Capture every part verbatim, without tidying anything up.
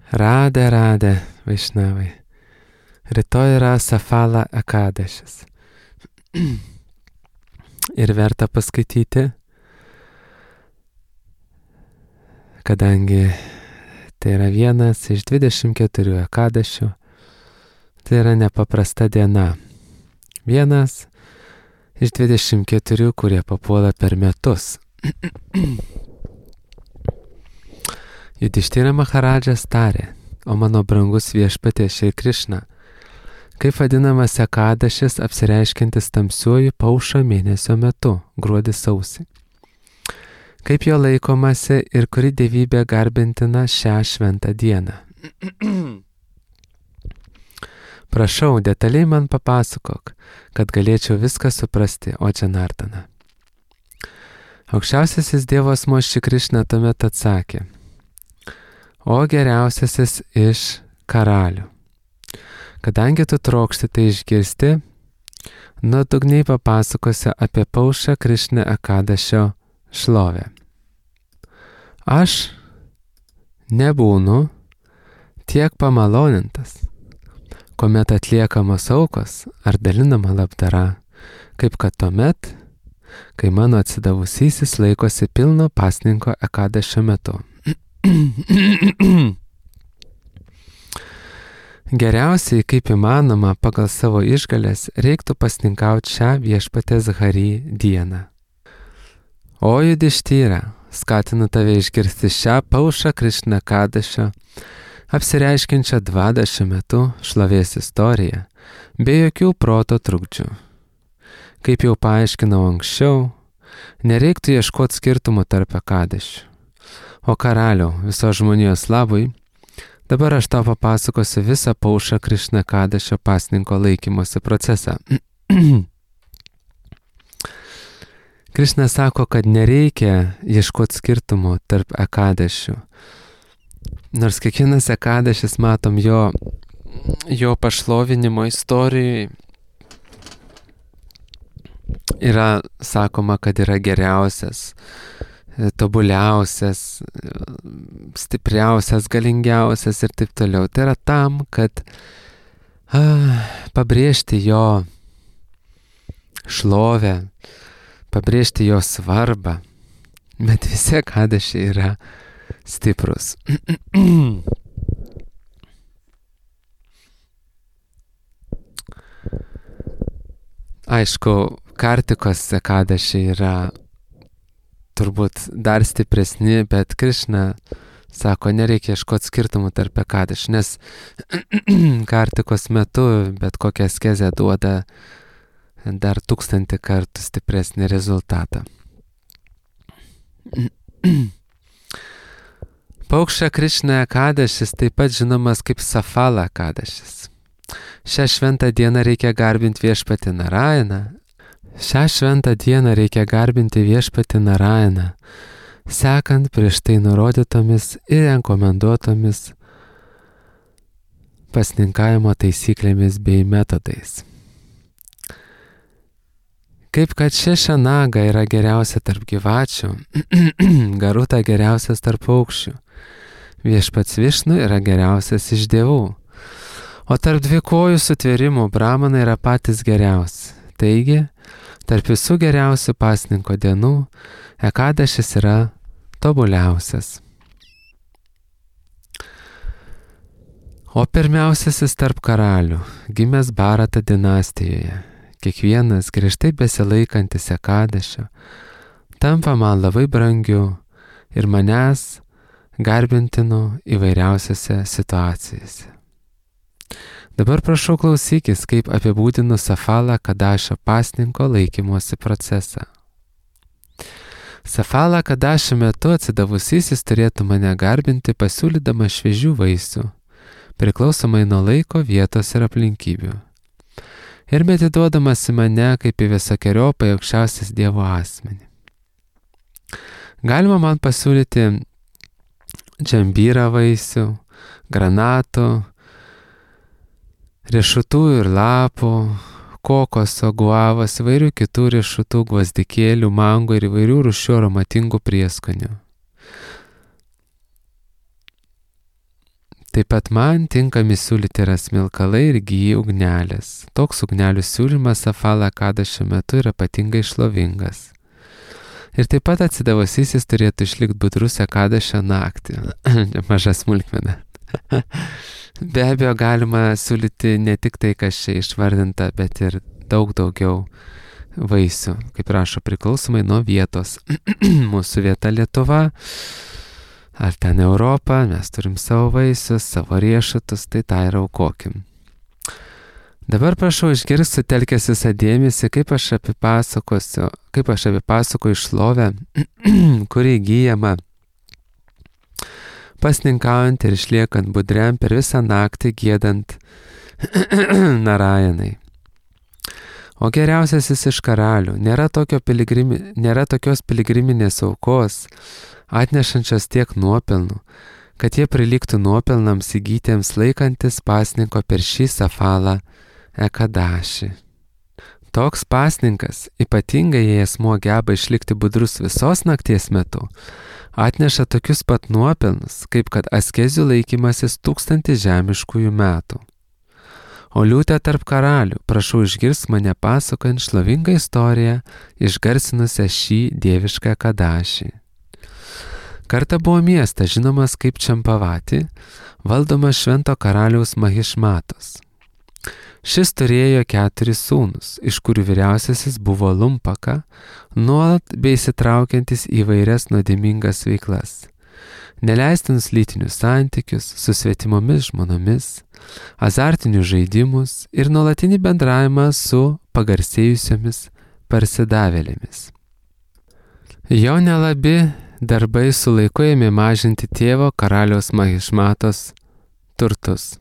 Radė, radė, Vaišnavai. Rytoj yra Safala Ekadešis. Ir verta paskaityti, kadangi tai yra vienas iš dvidešimt keturių Ekadešių. Tai yra nepaprasta diena. Vienas iš dvidešimt keturių, kurie papuola per metus. Judištyra Maharadžas tarė: o mano brangus viešpatie Šri Krišna, kaip vadinamas Ekadešis apsireiškiantis tamsiuoju paušo mėnesio metu, gruodį sausį. Kaip jo laikomasi ir kuri dievybė garbintina šią šventą dieną. Prašau, detaliai man papasakok, kad galėčiau viską suprasti, o Džanardana. Aukščiausiasis Dievo asmuo Šri Krišna tuomet atsakė: o geriausiasis iš karalių, kadangi tu trokšti tai išgirsti, nuodugniai papasakosiu apie paušą Krišna Ekadešio šlovę. Aš nebūnu tiek pamalonintas, kuomet atliekamos aukos ar dalinama labdara, kaip kad tuomet, kai mano atsidavusysis laikosi pilno pasninko Ekadešio metu. Geriausiai, kaip įmanoma, pagal savo išgalės reiktų pasninkauti šią viešpatės Hari dieną. O Judištyra, skatinu tave išgirsti šią paušą Krišna Ekadešio, apsireiškinčią dvadešimt metų šlovės istoriją, be jokių proto trukdžių. Kaip jau paaiškinau anksčiau, nereiktų ieškoti skirtumų tarp Ekadešių. O karaliau, visos žmonijos labui, dabar aš tau papasakosiu visą paušą Krišna Ekadešio pasninko laikymosi procesą. Krišna sako, kad nereikia ieškoti skirtumų tarp Ekadešių. Nors kiekvienas Ekadešis, matom, jo, jo pašlovinimo istorijai yra sakoma, kad yra geriausias, tobuliausias, stipriausias, galingiausias ir taip toliau. Tai yra tam, kad a, pabrėžti jo šlovę, pabrėžti jo svarbą. Bet visi Ekadešiai yra stiprus. Aišku, Kartikos Ekadešiai yra turbūt dar stipresni, bet Krišna sako, nereikia ieškoti skirtumų tarp Ekadešių, nes Kartikos metu bet kokia askezė duoda dar tūkstantį kartų stipresnį rezultatą. Paukša Krišna Ekadešis taip pat žinomas kaip Safala Ekadešis. Šią šventą dieną reikia garbinti viešpatį Narayaną. Šią šventą dieną reikia garbinti viešpatį Narayaną, sekant prieš tai nurodytomis ir rekomenduotomis pasninkavimo taisyklėmis bei metodais. Kaip kad Šešanaga yra geriausia tarp gyvačių, Garuta geriausias tarp paukščių, viešpats Višnu yra geriausias iš dievų, o tarp dvikojų sutvėrimų Brahmanai yra patys geriausi. Taigi, tarp visų geriausių pasninko dienų Ekadešis yra tobuliausias. O pirmiausiasis tarp karalių, gimęs Bharata dinastijoje, kiekvienas griežtai besilaikantis Ekadešio tampa man labai brangiu ir manęs garbintinu įvairiausiose situacijose. Dabar prašau klausykis, kaip apibūdinu Safala Ekadešio pasninko laikymosi procesą. Safala Ekadešio metu atsidavusysis turėtų mane garbinti pasiūlydama šviežių vaisių, priklausomai nuo laiko, vietos ir aplinkybių. Ir medituodamas į mane kaip į visokeriopą aukščiausias Dievo asmenį. Galima man pasiūlyti džambyrą vaisių, granatų, riešutų ir lapų, kokoso, guavos, įvairių kitų riešutų, gvazdikėlių, mango ir įvairių rūšių aromatingų prieskonių. Taip pat man tinkami siūlyti yra smilkalai ir gyji ugnelės. Toks ugnelių siūlymas Safala Kada šiuo metu yra ypatingai šlovingas. Ir taip pat atsidavusysis turėtų išlikti budrus Kada šią naktį. Maža smulkmena. Be abejo, galima siūlyti ne tik tai, kas čia išvardinta, bet ir daug daugiau vaisių, kaip rašo, priklausomai nuo vietos. Mūsų vieta Lietuva, ar ten Europa, mes turim savo vaisius, savo riešutus, tai tą ir aukokim. Dabar prašau išgirsti, sutelkęs visą dėmesį, kaip aš apipasakosiu, kaip aš apipasakoju šlovę, kuri įgyjama pasninkaujant ir išliekant budriam per visą naktį giedant Narajanai. O geriausiasis iš karalių, nėra, tokio piligrimi, nėra tokios piligriminės aukos, atnešančios tiek nuopelnų, kad jie prilygtų nuopelnams įgytiems laikantis pasninko per šį Safalą Ekadašį. Toks pasninkas, ypatingai jei asmuo geba išlikti budrus visos nakties metu, atneša tokius pat nuopelnus, kaip kad askezių laikymasis tūkstantį žemiškųjų metų. O liūtė tarp karalių, prašau išgirsk mane pasakojant šlovingą istoriją, išgarsinusią šį dievišką Ekadašį. Kartą buvo miestas žinomas kaip Čampavati, valdomas švento karaliaus Mahišmatos. Šis turėjo keturis sūnus, iš kurių vyriausiasis buvo Lumpaka, nuolat bei įsitraukiantis į vairias nuodėmingas veiklas. Neleistinus lytinius santykius su svetimomis žmonomis, azartinius žaidimus ir nuolatinį bendravimą su pagarsėjusiomis parsidavėlėmis. Jo nelabi darbai su laiku ėmė mažinti tėvo karaliaus Mahišmatos turtus.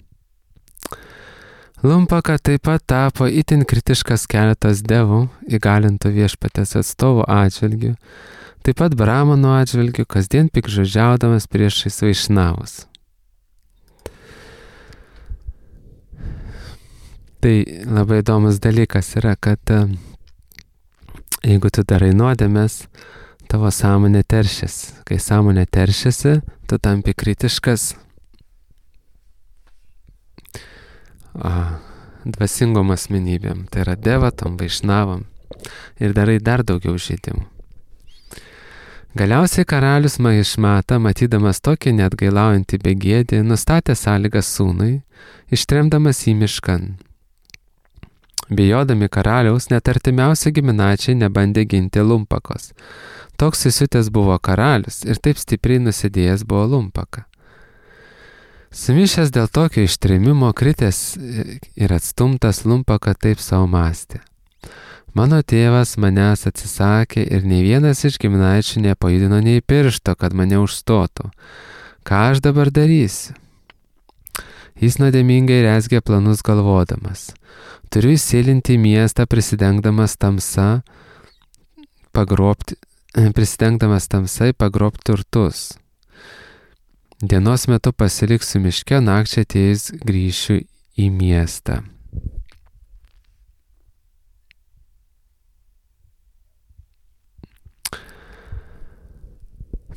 Lumpaka taip pat tapo itin kritiškas keletas devų, įgalintų viešpatės atstovų atžvilgių, taip pat Brahmanų atžvilgių, kasdien pikžodžiaudamas priešais vaišnavus. Tai labai įdomus dalykas yra, kad jeigu tu darai nuodėmes, tavo sąmonė teršiasi. Kai sąmonė teršiasi, tu tampi kritiškas a, dvasingom asmenybėm, tai yra devatom, vaišnavom ir darai dar daugiau žaidimų. Galiausiai karalius Mahišmata, matydamas tokį neatgailaujantį begėdį, nustatė sąlygas sūnui, ištremdamas į miškan. Bijodami karaliaus, net artimiausi giminaičiai nebandė ginti Lumpakos. Toks įsiutęs buvo karalius ir taip stipriai nusidėjęs buvo Lumpaka. Sumišęs dėl tokio ištrėmimo, kritęs ir atstumtas, Lumpaka taip savo mąstė. Mano tėvas manęs atsisakė ir nei vienas iš giminaičių nepajudino nei piršto, kad mane užstotų. Ką aš dabar darysiu? Jis nuodėmingai rezgė planus galvodamas. Turiu įsėlinti į miestą prisidengdamas tamsa, pagrobti, prisidengdamas tamsai pagrobti turtus. Dienos metu pasiliksiu miške, nakčia atėjus grįšiu į miestą.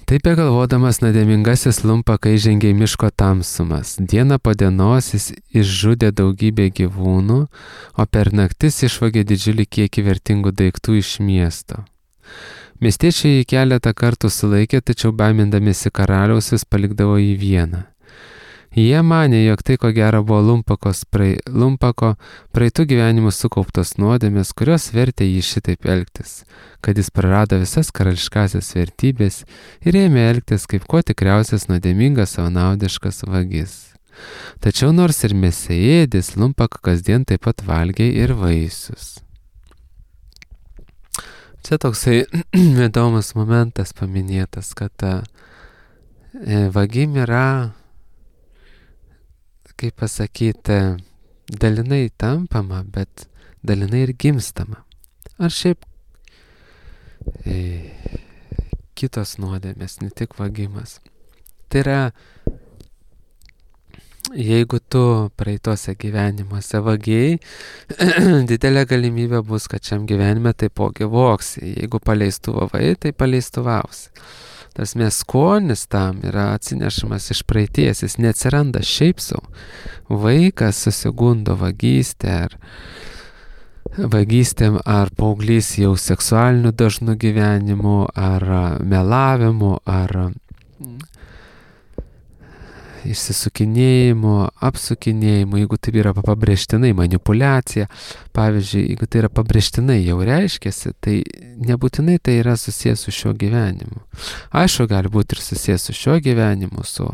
Taip begalvodamas nuodėmingasis Lumpaka įžengė į miško tamsumas. Dieną po dienos jis išžudė daugybę gyvūnų, o per naktis išvogė didžiulį kiekį vertingų daiktų iš miesto. Miestiečiai jį keletą kartų sulaikė, tačiau baimindamiesi karaliaus vis palikdavo jį vieną. Jie manė, jog tai ko gero buvo Lumpakos prae, Lumpako praeitų gyvenimų sukauptos nuodėmės, kurios vertė jį šitaip elgtis, kad jis prarado visas karališkasias vertybės ir ėmė elgtis kaip kuo tikriausias nuodėmingas savanaudiškas vagis. Tačiau nors ir mėsėėdis, Lumpaka kasdien taip pat valgė ir vaisius. Čia toksai įdomus momentas paminėtas, kad e, vagim yra, kaip pasakyti, dalinai tampama, bet dalinai ir gimstama. Ar šiaip e, kitos nuodėmės, ne tik vagimas. Tai yra, jeigu tu praeitose gyvenimuose vagiai, didelė galimybė bus, kad šiam gyvenime taipogi voksi. Jeigu paleistuvavai, tai paleistuvausi. Tas mes skonis tam yra atsinešamas iš praeities, jis neatsiranda šiaip sau. Vaikas susigundo vagystę ar vagystėm ar paauglys jau seksualiniu dažnu gyvenimu, ar melavimu, ar išsisukinėjimu, apsukinėjimu, jeigu tai yra pabrėžtinai manipuliacija. Pavyzdžiui, jeigu tai yra pabrėžtinai jau reiškiasi, tai nebūtinai tai yra susijęs su šiuo gyvenimu. Aišku, gali būti ir susijęs su šiuo gyvenimu, su,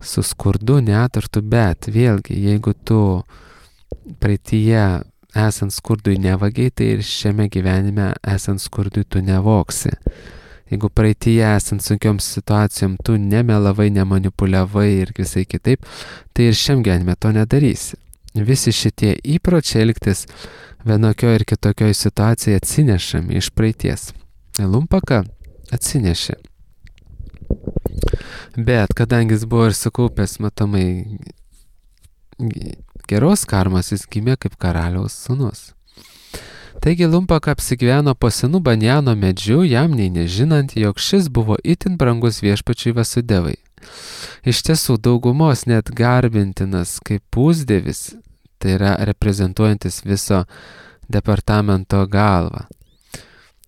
su skurdu, neturtu, bet vėlgi, jeigu tu praeityje esant skurdui nevagiai, tai ir šiame gyvenime esant skurdui tu nevoksi. Jeigu praeityje esant sunkioms situacijom tu nemelavai, nemanipuliavai ir visai kitaip, tai ir šiam gyvenime to nedarysi. Visi šitie įpročiai elgtis vienokio ir kitokioje situacijoje atsinešami iš praeities. Lumpaka atsinešė. Bet kadangi jis buvo ir sukaupęs matomai geros karmos, jis gimė kaip karaliaus sūnus. Taigi Lumpaka apsigyveno po senu banjano medžiu, jam nei nežinant, jog šis buvo itin brangus viešpačiui Vasudevai. Iš tiesų, daugumos net garbintinas kaip pusdievis, tai yra reprezentuojantis viso departamento galvą.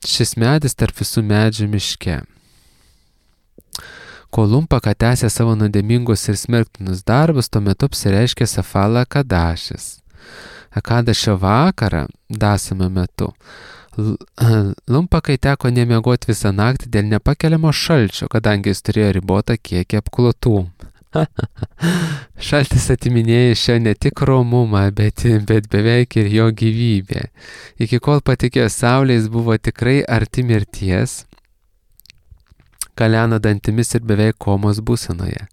Šis medis tarp visų medžių miške. Kol Lumpaka tęsė savo nuodėmingus ir smerktinus darbus, tuo metu apsireiškė Safala Kadašis. Akadašio vakarą, dasame metu, Lumpakai teko nemiegoti visą naktį dėl nepakeliamo šalčio, kadangi jis turėjo ribotą kiekį apklotų. Šaltis atiminėjo šio ne tik romumą, bet, bet beveik ir jo gyvybę. Iki kol patikėjo saulė, jis buvo tikrai arti mirties, kaleno dantimis ir beveik komos būsenoje.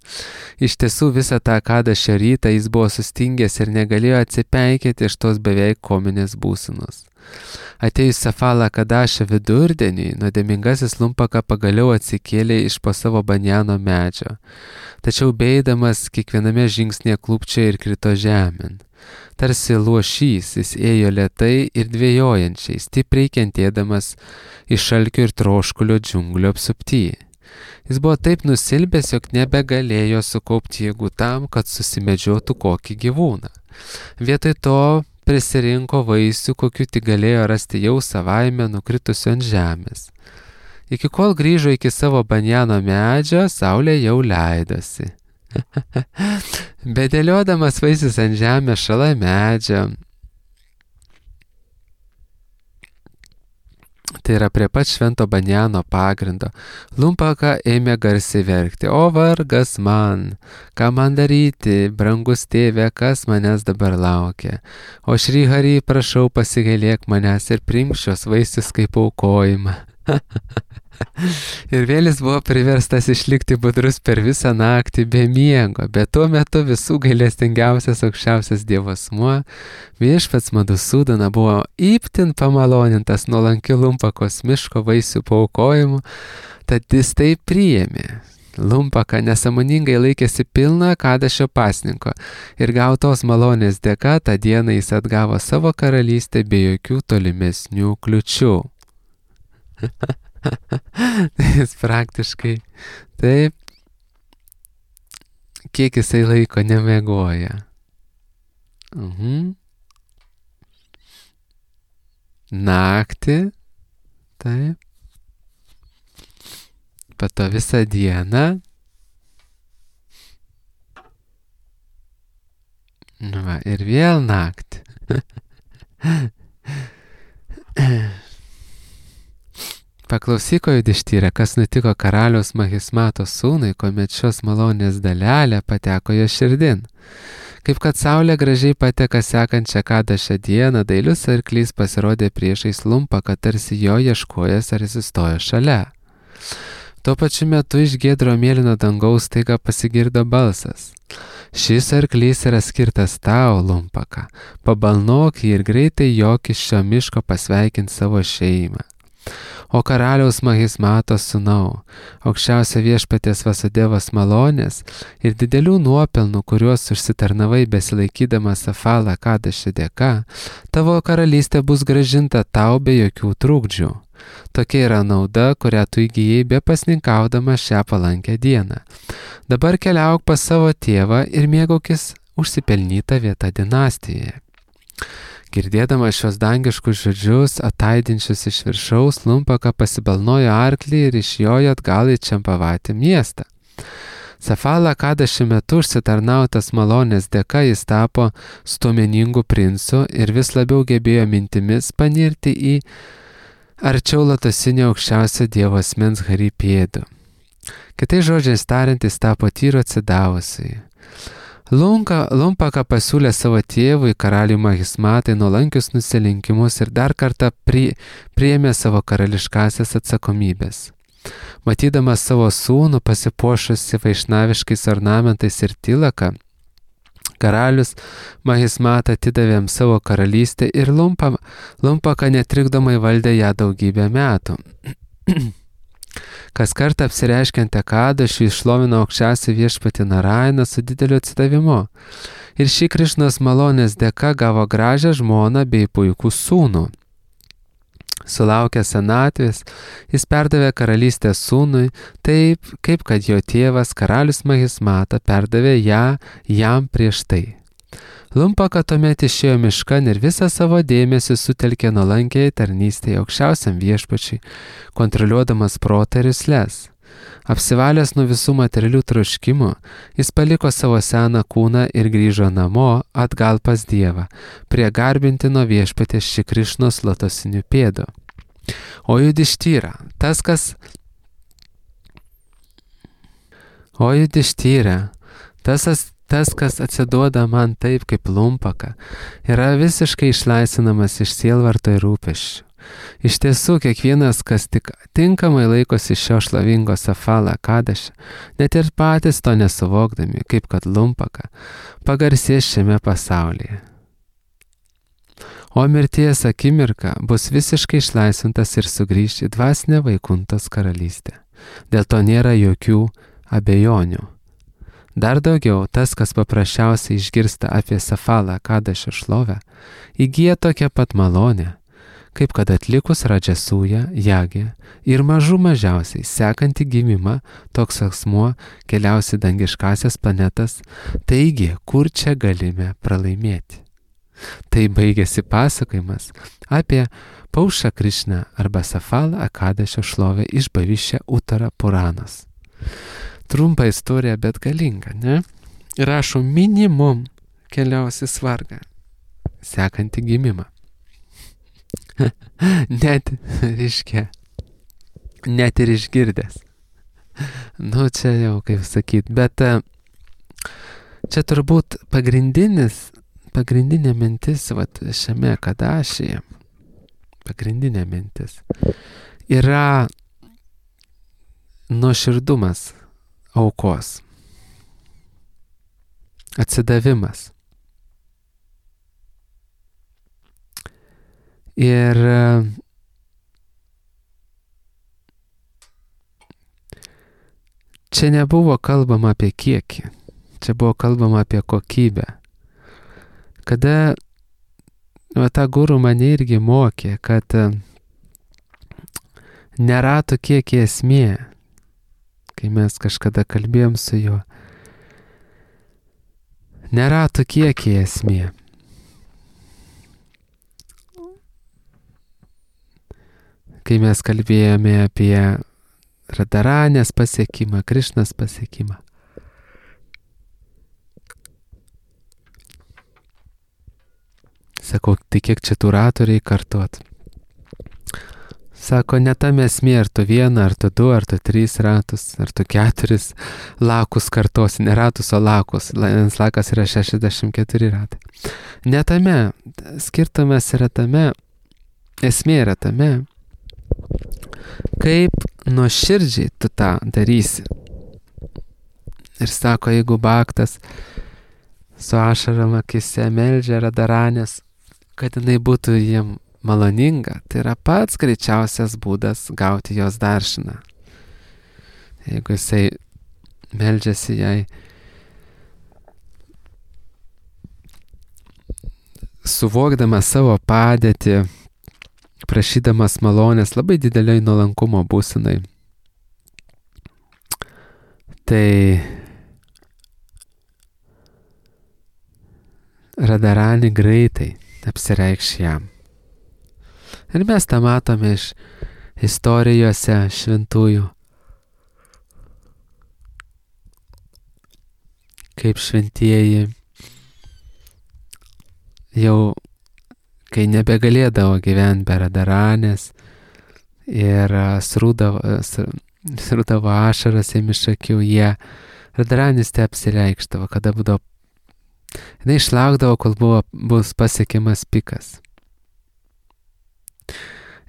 Iš tiesų visą tą Kadašio rytą jis buvo sustingęs ir negalėjo atsipeikėti iš tos beveik kominės būsenos. Atėjus Safala Kadašio vidurdieniui, nuodėmingasis Lumpaka pagaliau atsikėlė iš po savo banjano medžio. Tačiau beidamas kiekviename žingsnėje klūpčiojo ir krito žemėn. Tarsi luošys, jis ėjo lėtai ir dvejojančiai, stipriai kentėdamas iš šalkio ir troškulio džiunglio apsupty. Jis buvo taip nusilbęs, jog nebegalėjo sukaupti jėgų tam, kad susimedžiotų kokį gyvūną. Vietoj to prisirinko vaisių, kokių tik galėjo rasti jau savaime nukritusių ant žemės. Iki kol grįžo iki savo banjano medžio, saulė jau leidosi. Bedėliodamas vaisius ant žemės šalia medžio, tai yra prie pat švento banjano pagrindo, Lumpaka ėmė garsiai verkti: o vargas man, ką man daryti, brangus tėve, kas manęs dabar laukia. O Šri Hari, prašau, pasigailėk manęs ir priimk šios vaisius kaip aukojimą. Ir vėl jis buvo priverstas išlikti budrus per visą naktį be miego, bet tuo metu visų gailestingiausias aukščiausias Dievo asmuo, viešpats Madhusudana, buvo itin pamalonintas nuolankiu Lumpakos miško vaisių paaukojimu, tad jis tai priėmė. Lumpaka nesąmoningai laikėsi pilną Kadašio pasninko ir gautos malonės dėka tą dieną jis atgavo savo karalystę be jokių tolimesnių kliučių. Jis praktiškai taip, kiek jisai laiko nemiegoja. Mhm. Naktį, taip, po to visą dieną. Nu va, ir vėl naktį. Paklausyk, o Judištyre, kas nutiko karaliaus Mahismato sūnui, kuomet šios malonės dalelė pateko jo širdin. Kaip kad saulė gražiai pateka sekančią Kadašio dieną, dailius arklys pasirodė priešais Lumpaką, tarsi jo ieškojas ar atsistojo šalia. Tuo pačiu metu iš giedro mėlyno dangaus staiga pasigirdo balsas: šis arklys yra skirtas tau, Lumpaka, pabalnok jį ir greitai jok iš šio miško pasveikinti savo šeimą. O karaliaus Mahismato sūnau, aukščiausia viešpaties Vasudevos malonės ir didelių nuopelnų, kuriuos užsitarnavai besilaikydamas Safala Kadašio dėka, tavo karalystė bus grąžinta tau be jokių trukdžių. Tokia yra nauda, kurią tu įgyjai be pasninkaudama šią palankę dieną. Dabar keliauk pas savo tėvą ir mėgaukis užsipelnytą vietą dinastijoje. Girdėdama šios dangiškus žodžius, ataidinčius iš viršaus, Lumpaka pasibalnojo arklį ir išjojo atgal į Čempavatį miestą. Safala Kadaši metu užsitarnautas malonės dėka jis tapo stuomeningu princu ir vis labiau gebėjo mintimis panirti į arčiau latosinio aukščiausio dievo asmens Hari pėdų. Kitais žodžiais tariant, jis tapo tyru atsidavusiai. Lunka, Lumpaka pasiūlė savo tėvui, karaliui Mahismatai, nuolankius nusilenkimus ir dar kartą pri, priėmė savo karališkasias atsakomybės. Matydamas savo sūnų pasipuošusi vaišnaviškais ornamentais ir tilaka, karalius Mahismata atidavė jam savo karalystę ir Lumpa, Lumpaka netrikdomai valdė ją daugybę metų. Kas kartą apsireiškiant Ekadašiui išlovino aukščiausią viešpatį Narainą su dideliu atsidavimu. Ir šį Krišnos malonės dėka gavo gražią žmoną bei puikų sūnų. Sulaukęs senatvės, jis perdavė karalystę sūnui, taip kaip kad jo tėvas karalius Mahismata perdavė ją jam prieš tai. Lumpaka tuomet išėjo miškan ir visą savo dėmesį sutelkė nuolankiai tarnystėje aukščiausiam viešpačiui, kontroliuodamas protą ir jusles. Apsivalęs nuo visų materialių troškimų, jis paliko savo seną kūną ir grįžo namo atgal pas Dievą, prie garbintino viešpatės Šri Krišnos lotosinių pėdų. O Judištyra, tas, kas... O Judištyra, tas, tas, kas atsiduoda man taip kaip Lumpaka, yra visiškai išlaisvinamas iš sielvarto ir rūpesčių. Iš tiesų, kiekvienas, kas tik tinkamai laikosi šio šlovingo Safala Kadašio, net ir patys to nesuvokdami, kaip kad Lumpaka, pagarsės šiame pasaulyje. O mirties akimirka bus visiškai išlaisvintas ir sugrįš į dvasinę Vaikuntos karalystę. Dėl to nėra jokių abejonių. Dar daugiau, tas, kas paprasčiausiai išgirsta apie Safala Kadašio šlovę, įgyja tokią pat malonę, kaip kad atlikus Radžasują, Jagę ir mažų mažiausiai sekantį gimimą, toks asmuo keliausi dangiškasias planetas, taigi, kur čia galime pralaimėti. Tai baigėsi pasakojimas apie Paušą Krišną arba Safalą Kadašio šlovę iš Bhavišya Uttara Puranos. Trumpa istorija, bet galinga, ne? Rašo minimum keliausi svargą, sekantį gimimą. Net, reiškia, net ir išgirdęs. Nu, čia jau kaip sakyt, bet čia turbūt pagrindinis, pagrindinė mintis, vat, šiame Kadašyje, pagrindinė mintis, yra nuoširdumas aukos, atsidavimas. Ir čia nebuvo kalbama apie kiekį, čia buvo kalbama apie kokybę. Kada va, ta guru mane irgi mokė, kad nėra to kiekį esmė, kai mes kažkada kalbėjom su juo, nėra to kiekį esmė. Kai mes kalbėjome apie Radharanės pasiekimą, Krišnos pasiekimą. Sakau, tai kiek čia tų ratų reikia kartuot? Sako, ne tam esmė, ar tu vieną, ar tu du, ar tu trys ratus, ar tu keturis lakus kartosi, ne ratus, o lakus. Vienas lakas yra šešiasdešimt keturi ratai. Ne tame, skirtumas yra tame, esmė yra tame, kaip nuoširdžiai tu tą darysi. Ir sako, jeigu Bhaktas su ašarom akise meldžia Radharanės, kad jinai būtų jiem maloninga, tai yra pats greičiausias būdas gauti jos daršiną. Jeigu jisai meldžiasi jai suvokdamas savo padėtį, prašydamas malonės labai dideliai nuolankumo būsenai. Tai Radharani greitai apsireikš jam. Ir mes tą matome iš istorijose šventųjų, kaip šventieji jau, kai nebegalėdavo gyventi be Radharanės ir srūdavo, srūdavo ašaras jiem iš akių, jie Radharanės te apsireikštavo, kada būdavo, jinai išlaukdavo, kol buvo, bus pasiekiamas pikas.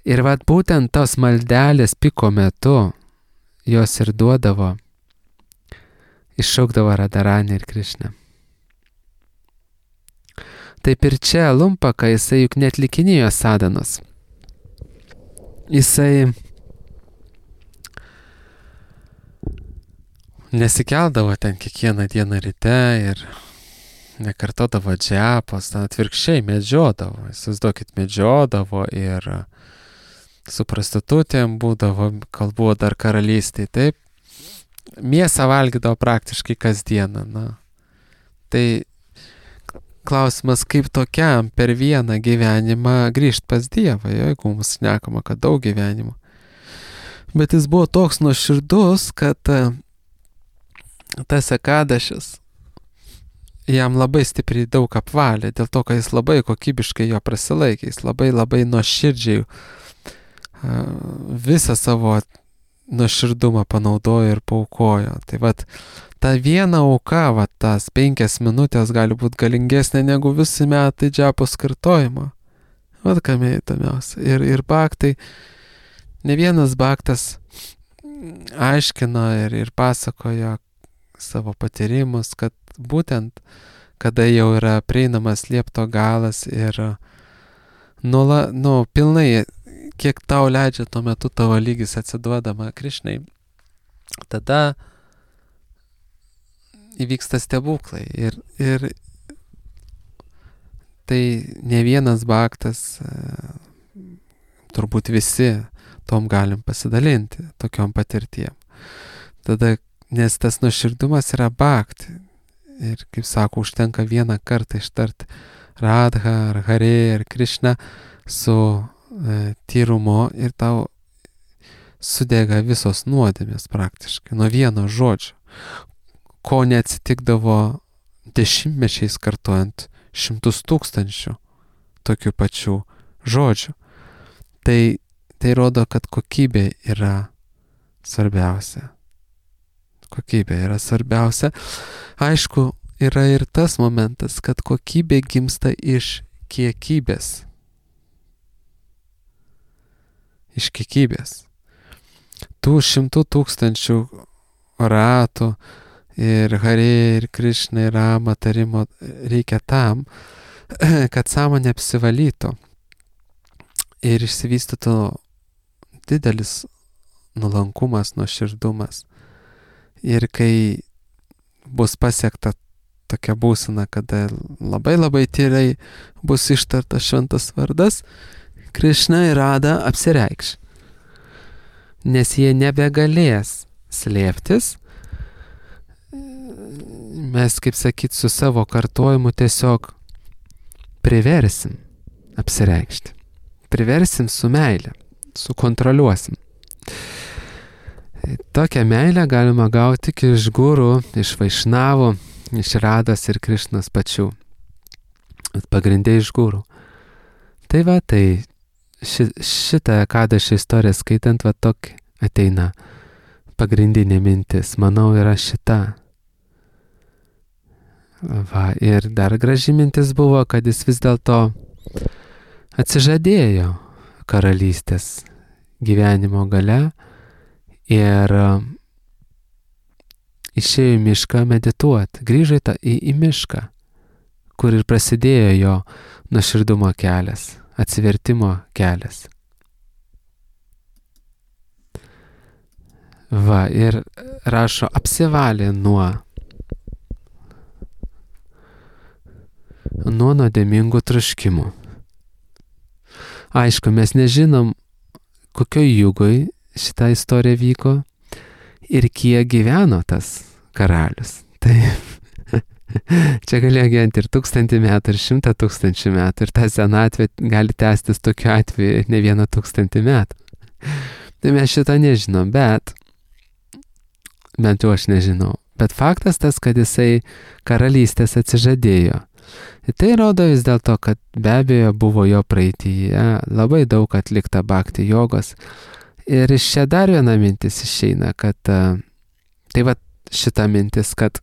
Ir vat būtent tos maldelės piko metu jos ir duodavo, iššaukdavo Radharanį ir Krišną. Taip ir čia Lumpaka, jisai juk neatlikinėjo sadanos. Jisai nesikeldavo ten kiekvieną dieną ryte ir nekartodavo džiapos, ten atvirkščiai medžiodavo. Įsivaizduokit, medžiodavo ir su prostitutėm būdavo, kol buvo dar karalystėj, taip. Mėsą valgydavo praktiškai kasdieną. Na. Tai klausimas, kaip tokiam per vieną gyvenimą grįžt pas Dievą, jeigu mums šnekama, kad daug gyvenimų. Bet jis buvo toks nuoširdus, kad tas Ekadašis jam labai stipriai daug apvalė, dėl to, kad jis labai kokybiškai jo prasilaikė, jis labai labai nuoširdžiai visą savo nuoširdumą panaudojo ir paaukojo. Tai vat, ta viena auka, vat, tas penkias minutės gali būti galingesnė negu visi metai džiapos kartojimo. Vat kame įdomiausia. Ir, ir baktai, ne vienas baktas aiškino ir, ir pasakojo savo patyrimus, kad būtent, kada jau yra prieinamas liepto galas ir nula, nu, pilnai, kiek tau leidžia tuo metu tavo lygis atsiduodama Krišnai, tada įvyksta stebuklai. Ir, ir tai ne vienas baktas, turbūt visi tom galim pasidalinti, tokiom patirtiem. Tada, nes tas nuoširdumas yra bakti. Ir, kaip sako, užtenka vieną kartą ištarti Radha, ar Hare, ar Krišna su e, tyrumu ir tau sudega visos nuodėmės praktiškai, nuo vieno žodžio, ko neatsitikdavo dešimtmečiais kartuojant šimtus tūkstančių tokių pačių žodžių. Tai, tai rodo, kad kokybė yra svarbiausia. Kokybė yra svarbiausia. Aišku, yra ir tas momentas, kad kokybė gimsta iš kiekybės. Iš kiekybės. Tų šimtų tūkstančių ratų ir Hare, ir Krišna, ir Rama tarimo reikia tam, kad sąmonė apsivalytų ir išsivystytų didelis nuolankumas, nuoširdumas. Ir kai bus pasiekta tokia būsena, kada labai labai tyrai bus ištartas šventas vardas, Krišna ir Radha apsireikš. Nes jie nebegalės slėptis. Mes, kaip sakyt, su savo kartojimu tiesiog priversim apsireikšti. Priversim su meile, sukontroliuosim. Tokią meilę galima gauti tik iš gurų, iš vaišnavų, iš Radhos ir Krišnos pačių. Pagrindė iš gurų. Tai va, tai ši, šitą Ekadašio istoriją skaitant, va tokia ateina pagrindinė mintis. Manau, yra šita. Va, ir dar graži mintis buvo, kad jis vis dėlto atsižadėjo karalystės gyvenimo gale ir išėjo į mišką medituoti, grįžo į, į mišką, kur ir prasidėjo jo nuoširdumo kelias, atsivertimo kelias. Va, ir rašo, apsivalė nuo, nuo nuodėmingų troškimų. Aišku, mes nežinom, kokioj jugoj šitą istoriją vyko ir kiek gyveno tas karalius. Tai čia galėjo gyventi ir tūkstantį metų, ir šimtą tūkstančių metų, ir ta senatvė gali tęstis tokiu atveju ne vieną tūkstantį metų. Tai mes šitą nežinom, bet, bent jau aš nežinau, bet faktas tas, kad jisai karalystės atsižadėjo. Ir tai rodo vis dėlto, kad be abejo buvo jo praeityje labai daug atlikta bhakti jogos. Ir iš čia dar viena mintis išeina, kad tai va šita mintis, kad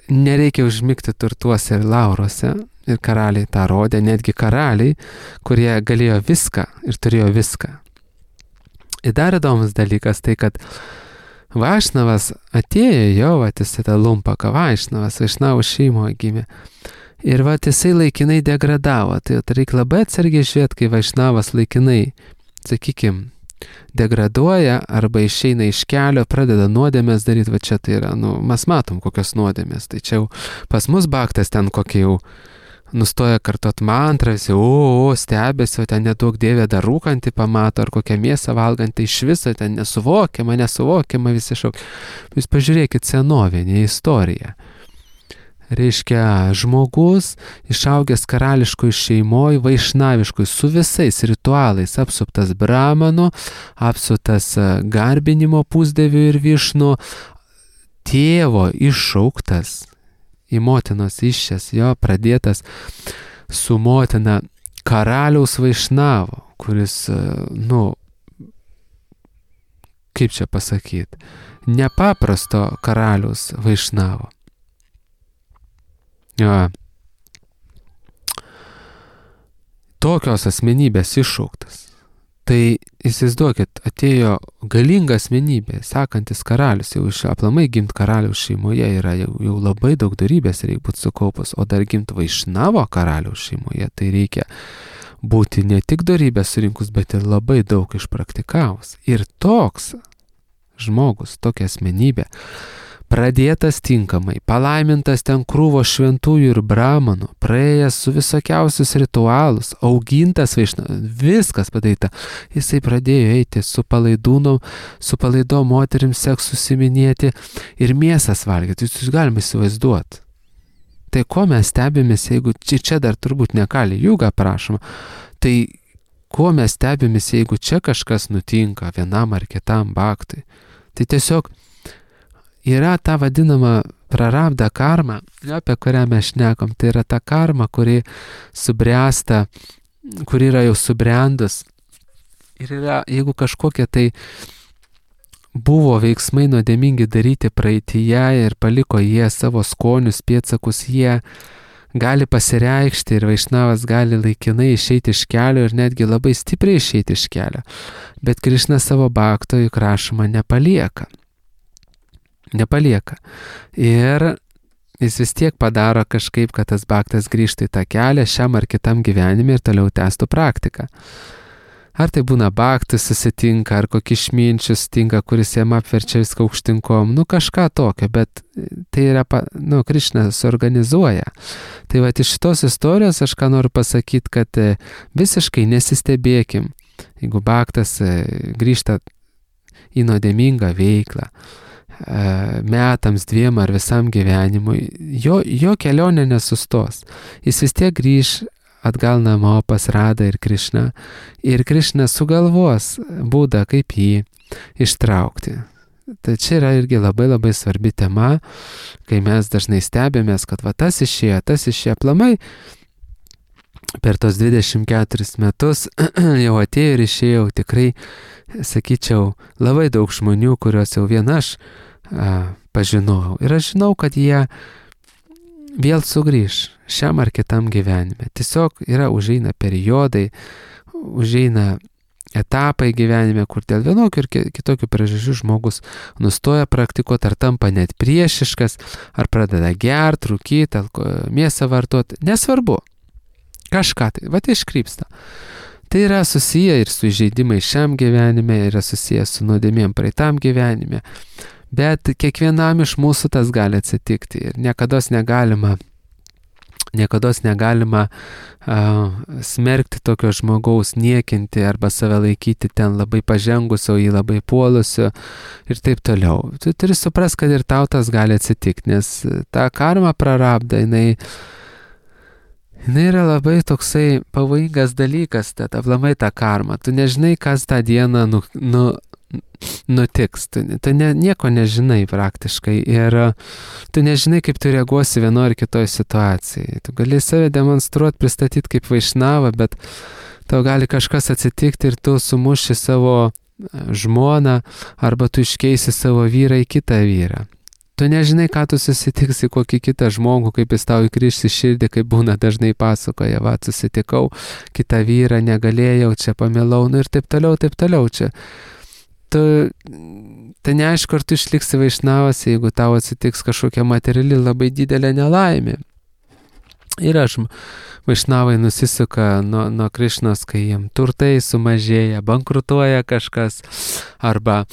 nereikia užmigti turtuose ir lauruose, ir karaliai tą rodė, netgi karaliai, kurie galėjo viską ir turėjo viską. Ir dar įdomus dalykas tai, kad Vaišnavas atėjo jau, vat jisai tą lumpaką Vaišnavas, Vaišnavų šeimoje gimė. Ir vat jisai laikinai degradavo, tai reikia labai atsargiai žiūrėti, kai Vaišnavas laikinai, sakykime, degraduoja arba išeina iš kelio, pradeda nuodėmės daryti, va čia tai yra, nu, mes matom kokios nuodėmės, tai čia jau pas mus baktas ten kokie jau nustoja kartot mantrą, visi, o, o, stebėsi, o ten nedaug dievė dar rūkantį pamato, ar kokią mėsą valgantį, iš viso ten nesuvokiama, nesuvokiama visi šauk. Jūs pažiūrėkit senovinę istoriją. Reiškia, žmogus išaugęs karališkoj šeimoj, vaišnaviškoj, su visais ritualais, apsuptas brahmanu, apsuptas garbinimo pusdievių ir višnų, tėvo iššauktas į motinos iššės, jo pradėtas su motina karaliaus Vaišnavo, kuris, nu, kaip čia pasakyti, nepaprasto karaliaus Vaišnavo. Ja. Tokios asmenybės iššauktas. Tai įsivaizduokit, atėjo galinga asmenybė, sekantis karalius, jau iš aplamai gimt karaliaus šeimoje yra jau, jau labai daug darybės reikia būti sukaupus, o dar gimt Vaišnavo karaliaus šeimoje, tai reikia būti ne tik darybės surinkus, bet ir labai daug išpraktikavus. Ir toks žmogus, tokia asmenybė, pradėtas tinkamai, palaimintas ten krūvo šventųjų ir brahmanų, praėjęs su visokiausius ritualus, augintas Vaišnava, viskas padaryta. Jisai pradėjo eiti su palaidūnom, su palaidom moterim seks susiminėti ir mėsas valgyti. Jūs galime įsivaizduoti. Tai ko mes stebimės, jeigu čia, čia dar turbūt ne Kali Juga prašoma, tai ko mes stebimės, jeigu čia kažkas nutinka vienam ar kitam bhaktui. Tai tiesiog yra ta vadinama prarabdha karma, apie kurią mes šnekam, tai yra ta karma, kuri subręsta, kuri yra jau subrendus. Ir yra, jeigu kažkokie tai buvo veiksmai nuodėmingi daryti praeityje ir paliko jie savo skonius, pėdsakus, jie gali pasireikšti ir Vaišnavas gali laikinai išeiti iš kelio ir netgi labai stipriai išeiti iš kelio. Bet Krišna savo bhakto juk rašoma nepalieka. Nepalieka. Ir jis vis tiek padaro kažkaip, kad tas bhaktas grįžtų į tą kelią šiam ar kitam gyvenime ir toliau tęstų praktiką. Ar tai būna bhaktas susitinka, ar kokį išminčių susitinka, kuris jam apverčia viską aukštinkom, nu kažką tokio, bet tai yra, nu, Krišna suorganizuoja. Tai va, iš šitos istorijos aš ką noriu pasakyti, kad visiškai nesistebėkim, jeigu bhaktas grįžta į nuodėmingą veiklą, metams, dviem ar visam gyvenimui, jo, jo kelionė nesustos. Jis vis tiek grįž atgal namo pas Radą ir Krišną ir Krišna sugalvos būdą, kaip jį ištraukti. Tai čia yra irgi labai labai svarbi tema, kai mes dažnai stebėmės, kad va tas išėjo, tas išėjo aplamai. Per tos dvidešimt keturis metus jau atėjo ir išėjau tikrai, sakyčiau, labai daug žmonių, kuriuos jau vien aš a, pažinojau. Ir aš žinau, kad jie vėl sugrįž šiam ar kitam gyvenime. Tiesiog yra užeina periodai, užeina etapai gyvenime, kur dėl vienokių ir kitokių priežasčių žmogus nustoja praktikuoti, ar tampa net priešiškas, ar pradeda gert, rūkyti, mėsą vartoti. Nesvarbu. Kažką tai, va tai iškrypsta. Tai yra susiję ir su įžeidimais šiam gyvenime, yra susiję su nuodėmėm praeitam gyvenime. Bet kiekvienam iš mūsų tas gali atsitikti ir niekados negalima Niekados negalima uh, smerkti tokio žmogaus, niekinti arba save laikyti ten labai pažengusio, jį labai puolusio ir taip toliau. Tu turi suprast, kad ir tau tas gali atsitikti, nes ta karma prarabda, jinai, jinai yra labai toksai pavojingas dalykas, tad aplamai ta karma. Tu nežinai, kas tą dieną nu, nu, nutiks, tu, tu ne, nieko nežinai praktiškai ir tu nežinai, kaip tu reaguosi vienoje ar kitoje situacijai. Tu gali save demonstruoti, pristatyti kaip vaišnavą, bet tau gali kažkas atsitikti ir tu sumuši savo žmoną arba tu iškeisi savo vyrą į kitą vyrą. Tu nežinai, ką tu susitiksi kokį kitą žmogų, kaip jis tau įkriš į širdį, kaip būna dažnai pasakoja, va, susitikau kitą vyrą, negalėjau, čia pamilau, nu ir taip toliau, taip toliau čia. Tu, tai neaišku, ar tu išliksi vaišnavas, jeigu tau atsitiks kažkokia materiali labai didelė nelaimė. Ir aš vaišnavai nusisuka nuo, nuo Krišnos, kai jiem turtai sumažėja, bankrutuoja kažkas, arba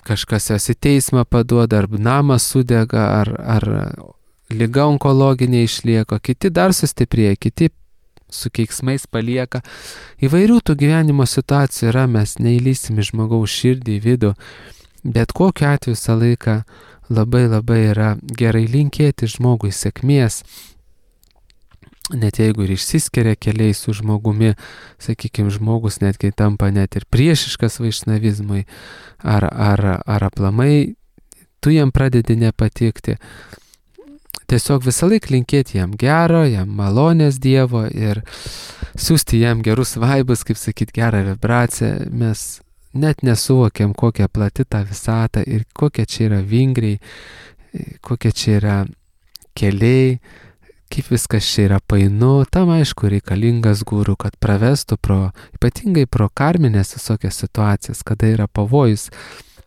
kažkas jos į teismą paduoda, arba namas sudega, ar, ar liga onkologinė išlieka, kiti dar sustiprėja, kiti su keiksmais palieka. Įvairių tų gyvenimo situacijų yra, mes neįlysim į žmogaus širdį, į vidų, bet kokiu atveju visą laiką labai labai yra gerai linkėti žmogui sėkmės, net jeigu ir išsiskiria keliai su žmogumi, sakykime, žmogus netgi tampa net ir priešiškas vaišnavizmui, ar, ar, ar aplamai tu jam pradedi nepatikti. Tiesiog visą laiką linkėti jam gero, jam malonės Dievo ir siūsti jam gerus vaibus, kaip sakyti, gerą vibraciją. Mes net nesuvokiam, kokia plati ta visata ir kokie čia yra vingriai, kokie čia yra keliai, kaip viskas čia yra painu. Tam aišku reikalingas guru, kad pravestų pro, ypatingai pro karminės visokias situacijas, kada yra pavojus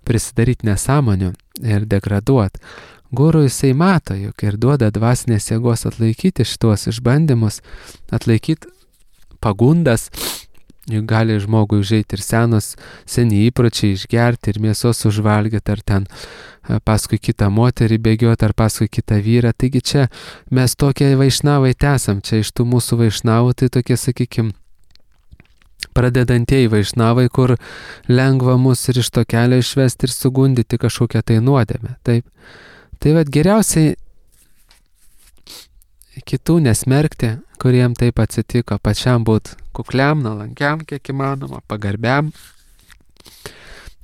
prisidaryti nesąmonių ir degraduoti. Guru jisai mato, juk ir duoda dvasinės jėgos atlaikyti šitos išbandymus, atlaikyti pagundas, juk gali žmogui užeiti ir senos, seni įpročiai išgerti ir mėsos užvalgyti, ar ten paskui kitą moterį bėgioti, ar paskui kitą vyrą. Taigi čia mes tokie vaišnavai tesam, čia iš tų mūsų vaišnavų, tai tokie, sakykime, pradedantieji vaišnavai, kur lengva mus ir iš to kelio išvesti ir sugundyti kažkokią tai nuodėmę. Taip. Tai vad geriausiai kitų nesmerkti, kuriem taip atsitiko, pačiam būt kukliam, nuolankiam, kiek įmanoma, pagarbiam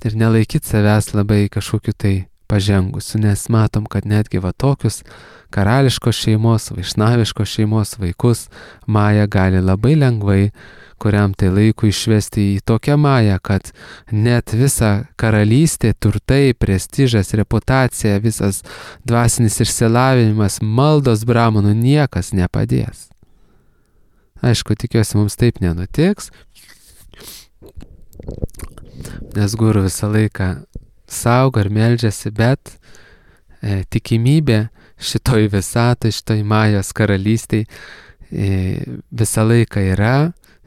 ir nelaikyti savęs labai kažkokiu tai pažengusiu, nes matom, kad netgi va tokius karališkos šeimos, vaišnaviškos šeimos vaikus Maja gali labai lengvai kuriam tai laiku išvesti į tokią mają, kad net visa karalystė, turtai, prestižas, reputacija, visas dvasinis išsilavinimas, maldos bramonų niekas nepadės. Aišku, tikiuosi, mums taip nenutiks, nes guru visą laiką saugo ir meldžiasi, bet e, tikimybė šitoj visatoj, šitoj majos karalystėj e, visą laiką yra.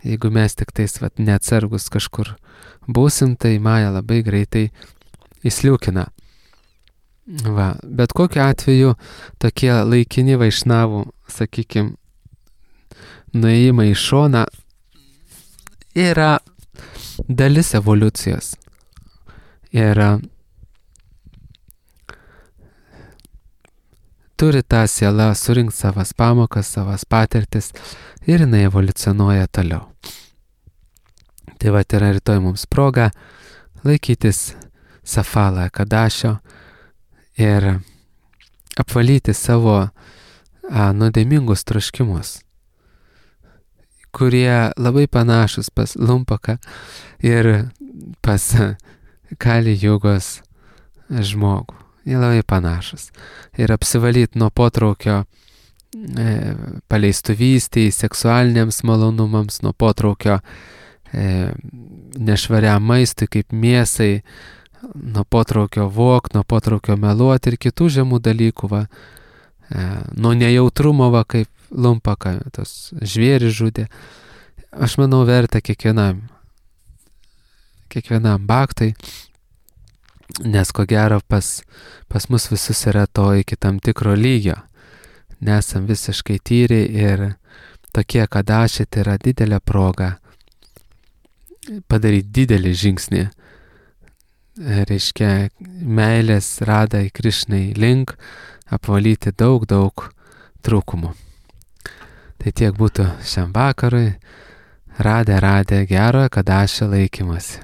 Jeigu mes tik tais vat, neatsargus kažkur būsim, tai Maja labai greitai įsliūkina. Va. Bet kokiu atveju tokie laikini vaišnavų, sakykime, nuėjimai į šoną yra dalis evoliucijos. Ir turi tą sielą surinkti savas pamokas, savas patirtis ir jinai evoliucionuoja toliau. Tai va, yra rytoj mums proga laikytis Safala Kadašio ir apvalyti savo a, nuodėmingus troškimus, kurie labai panašus pas Lumpaką ir pas Kali Jugos žmogų. Jie labai panašus. Ir apsivalyti nuo potraukio e, paleistuvystėj, seksualiniams malonumams, nuo potraukio e, nešvariam maistui kaip mėsai, nuo potraukio vok, nuo potraukio meluoti ir kitų žemų dalykų, va, e, nuo nejautrumo, va, kaip Lumpaka, tos žvėrį žudė. Aš manau, verta kiekvienam, kiekvienam baktui, nes ko gero pas, pas mus visus yra to iki tam tikro lygio. nesam visiškai tyri ir tokie kadašiai, tai yra didelė proga padaryti didelį žingsnį, reiškia meilės radai Krišnai link, apvalyti daug, daug trūkumų. Tai tiek būtų šiam vakarui. Radę, radę gero kadašio laikymasi.